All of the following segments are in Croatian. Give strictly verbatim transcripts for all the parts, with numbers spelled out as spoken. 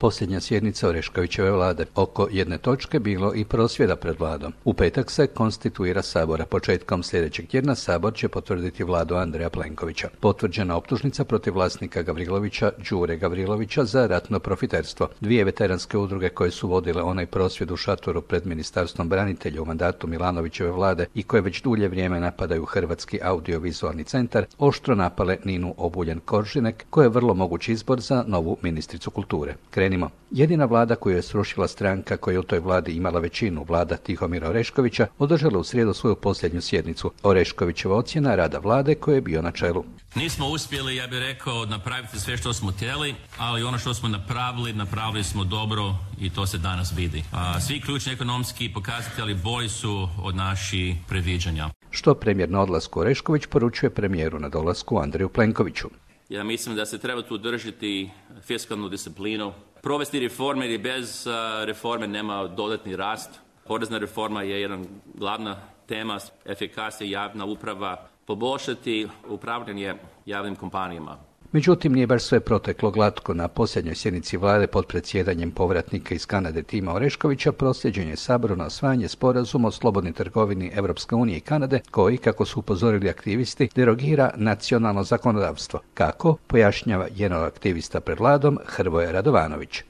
Posljednja sjednica Oreškovićeve vlade. Oko jedne točke bilo i prosvjeda pred vladom. U petak se konstituira Sabor, a početkom sljedećeg tjedna Sabor će potvrditi vladu Andreja Plenkovića. Potvrđena optužnica protiv vlasnika Gavrilovića, Đure Gavrilovića, za ratno profiterstvo. Dvije veteranske udruge koje su vodile onaj prosvjed u šatoru pred Ministarstvom branitelja u mandatu Milanovićeve vlade i koje već dulje vrijeme napadaju Hrvatski audiovizualni centar, oštro napale Ninu Obuljen-Koržinek, koja je vrlo moguć izbor za novu ministricu kulture. Krenimo. Jedina vlada koju je srušila stranka koja je u toj vladi imala većinu, vlada Tihomira Oreškovića, održala u srijedu svoju posljednju sjednicu. Oreškovićeva ocjena rada vlade koje je bio na čelu. Nismo uspjeli, ja bih rekao, napraviti sve što smo htjeli, ali ono što smo napravili, napravili smo dobro i to se danas vidi. A, svi ključni ekonomski pokazatelji bolji su od naših predviđanja. Što premijer na odlasku Orešković poručuje premijeru na dolasku Andreju Plenkoviću. Ja mislim da se treba tu držati fiskalnu disciplinu, provesti reforme jer bez reforme nema dodatni rast. Porezna reforma je jedna glavna tema, efikasnija javna uprava, poboljšati upravljanje javnim kompanijama. Međutim, nije baš sve proteklo glatko. Na posljednjoj sjednici vlade pod predsjedanjem povratnika iz Kanade Tima Oreškovića proslijeđen je Saboru na usvajanje sporazuma o slobodnoj trgovini Europske unije i Kanade, koji, kako su upozorili aktivisti, derogira nacionalno zakonodavstvo. Kako, pojašnjava jedan od aktivista pred vladom, Hrvoje Radovanović.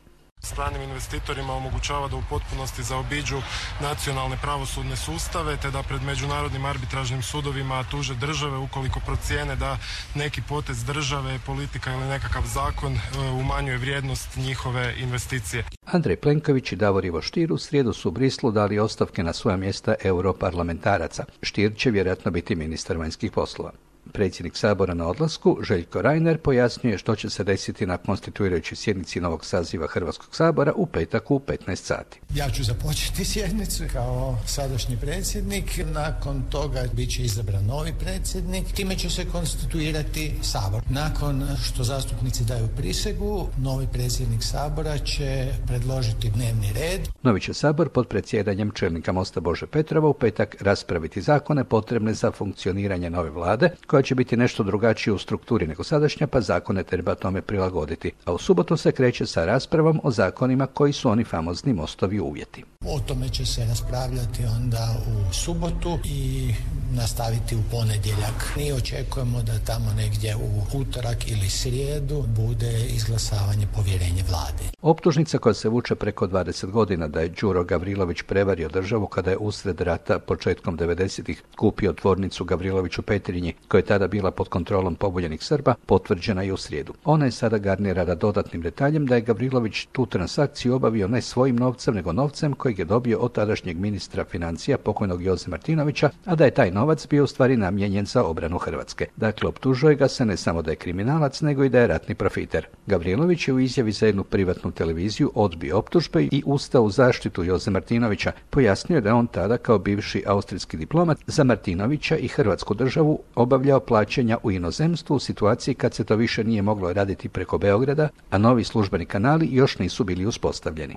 Stranim investitorima omogućava da u potpunosti zaobiđu nacionalne pravosudne sustave te da pred međunarodnim arbitražnim sudovima tuže države ukoliko procijene da neki potez države, politika ili nekakav zakon umanjuje vrijednost njihove investicije. Andrej Plenković i Davor Ivo Stier u srijedu su u Brislu dali ostavke na svoja mjesta europarlamentaraca. Stier će vjerojatno biti ministar vanjskih poslova. Predsjednik Sabora na odlasku, Željko Reiner, pojasnjuje što će se desiti na konstituirajućoj sjednici novog saziva Hrvatskog sabora u petak u petnaest sati. Ja ću započeti sjednicu kao sadašnji predsjednik, nakon toga bit će izabran novi predsjednik, time će se konstituirati Sabor. Nakon što zastupnici daju prisegu, novi predsjednik Sabora će predložiti dnevni red. Novi će Sabor pod predsjedanjem čelnika Mosta Bože Petrova u petak raspraviti zakone potrebne za funkcioniranje nove vlade, koja će biti nešto drugačije u strukturi nego sadašnja, pa zakone treba tome prilagoditi. A u subotu se kreće sa raspravom o zakonima koji su oni famozni Mostovi uvjeti. O tome će se raspravljati onda u subotu i nastaviti u ponedjeljak. Mi očekujemo da tamo negdje u utorak ili srijedu bude izglasavanje povjerenja vlade. Optužnica koja se vuče preko dvadeset godina da je Đuro Gavrilović prevario državu kada je usred rata početkom devedesetih kupio tvornicu Gavrilović u Petrinji, koja je tada bila pod kontrolom pobunjenih Srba, potvrđena i u srijedu. Ona je sada garnirana dodatnim detaljem da je Gavrilović tu transakciju obavio ne svojim novcem, nego novcem kojeg je dobio od tadašnjeg ministra financija pokojnog Joze Martinovića, a da je taj novac bio u stvari namijenjen za obranu Hrvatske. Dakle, optužuje ga se ne samo da je kriminalac, nego i da je ratni profiter. Gavrilović je u izjavi za jednu privatnu televiziju odbio optužbe i ustao u zaštitu Joze Martinovića. Pojasnio da je on tada kao bivši austrijski diplomat za Martinovića i Hrvatsku državu obavljao plaćanja u inozemstvu u situaciji kad se to više nije moglo raditi preko Beograda, a novi službeni kanali još nisu bili uspostavljeni.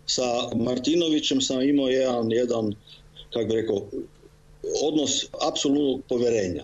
Sa Martinovićem sam imao jedan, jedan kako bih rekao, odnos apsolutnog povjerenja.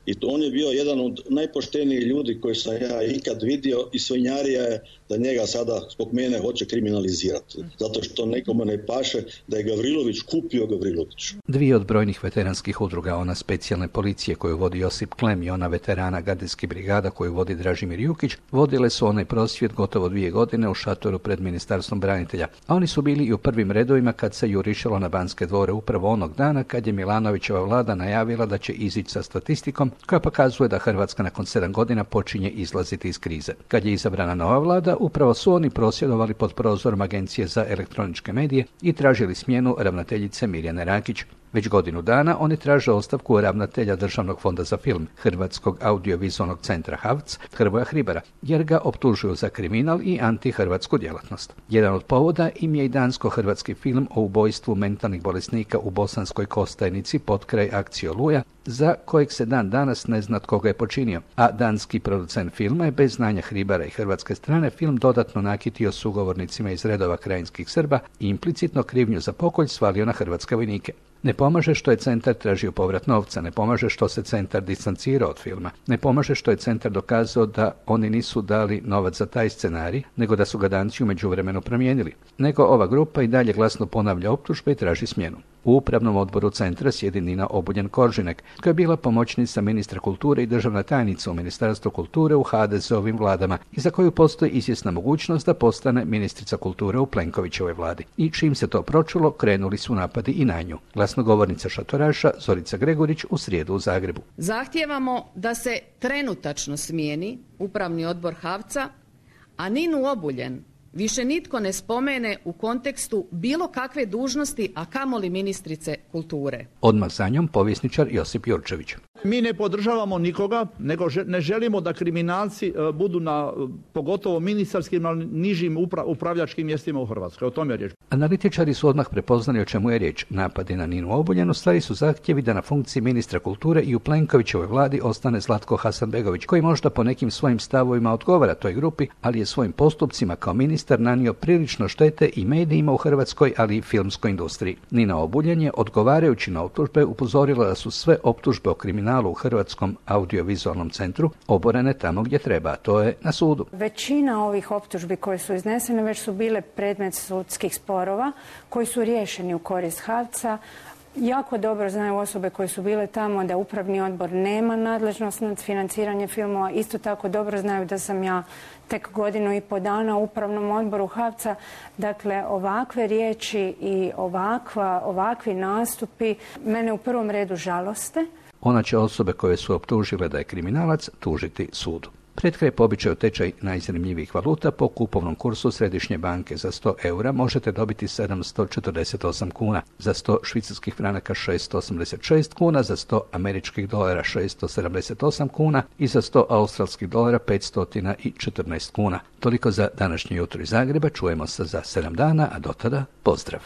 I to on je bio jedan od najpoštenijih ljudi koji sam ja ikad vidio i svinjarija je da njega sada zbog mene hoće kriminalizirati. Zato što nekome ne paše da je Gavrilović kupio Gavrilović. Dvije od brojnih veteranskih udruga, ona specijalne policije koju vodi Josip Klem i ona veterana gardijskih brigada koju vodi Dražimir Jukić, vodile su onaj prosvjed gotovo dvije godine u šatoru pred Ministarstvom branitelja. A oni su bili i u prvim redovima kad se jurišalo na Banske dvore upravo onog dana kad je Milanovićeva vlada najavila da će izići sa statistikom koja pokazuje da Hrvatska nakon sedam godina počinje izlaziti iz krize. Kad je izabrana nova vlada, upravo su oni prosvjedovali pod prozorom Agencije za elektroničke medije i tražili smjenu ravnateljice Mirjane Rakić. Već godinu dana oni traže ostavku ravnatelja Državnog fonda za film, Hrvatskog audiovizualnog centra H A V C, Hrvoja Hribara, jer ga optužuju za kriminal i antihrvatsku djelatnost. Jedan od povoda im je i dansko-hrvatski film o ubojstvu mentalnih bolesnika u Bosanskoj Kostajnici potkraj akcije Oluja, za kojeg se dan danas ne zna tko ga je počinio, a danski producent filma je bez znanja Hribara i hrvatske strane film dodatno nakitio sugovornicima iz redova krajinskih Srba i implicitno krivnju za pokolj svalio na hrvatske vojnike. Ne pomaže što je centar tražio povrat novca, ne pomaže što se centar distancirao od filma, ne pomaže što je centar dokazao da oni nisu dali novac za taj scenarij, nego da su ga danci u međuvremenu promijenili. Nego ova grupa i dalje glasno ponavlja optužbe i traži smjenu. U upravnom odboru centra sjedi Nina Obuljen-Koržinek, koja je bila pomoćnica ministra kulture i državna tajnica u Ministarstvu kulture u ha de ze ovim vladama i za koju postoji izvjesna mogućnost da postane ministrica kulture u Plenkovićevoj vladi. I čim se to pročulo, krenuli su napadi i na nju. Glasnogovornica šatoraša Zorica Gregurić u srijedu u Zagrebu. Zahtijevamo da se trenutačno smijeni upravni odbor HAVC-a, a Ninu Obuljen više nitko ne spomene u kontekstu bilo kakve dužnosti, a kamoli ministrice kulture. Odmah za njom povjesničar Josip Jurčević. Mi ne podržavamo nikoga, nego ne želimo da kriminalci budu na pogotovo ministarskim, ali nižim upra- upravljačkim mjestima u Hrvatskoj. O tome je riječ. Analitičari su odmah prepoznali o čemu je riječ. Napadi na Ninu Obuljen u stvari su zahtjevi da na funkciji ministra kulture i u Plenkovićevoj vladi ostane Zlatko Hasanbegović, koji možda po nekim svojim stavovima odgovara toj grupi, ali je svojim postupcima kao ministar nanio prilično štete i medijima u Hrvatskoj, ali i filmskoj industriji. Nina Obuljen je, odgovarajući na optužbe, upozorila da su sve optužbe o kriminalu u Hrvatskom audiovizualnom centru oborene tamo gdje treba, a to je na sudu. Većina ovih optužbi koje su iznesene već su bile predmet sudskih sporova koji su riješeni u korist HAVC-a. Jako dobro znaju osobe koje su bile tamo da upravni odbor nema nadležnost nad financiranjem filmova. Isto tako dobro znaju da sam ja tek godinu i po dana u upravnom odboru HAVC-a. Dakle, ovakve riječi i ovakva, ovakvi nastupi mene u prvom redu žaloste. Ona će osobe koje su optužile da je kriminalac tužiti sudu. Pred kraj po običaju tečaj najzanimljivijih valuta po kupovnom kursu Središnje banke za sto eura možete dobiti sedamsto četrdeset osam kuna, za sto švicarskih franaka šesto osamdeset šest kuna, za sto američkih dolara šesto sedamdeset osam kuna i za sto australskih dolara petsto četrnaest kuna. Toliko za današnje jutro iz Zagreba, čujemo se za sedam dana, a do tada pozdrav.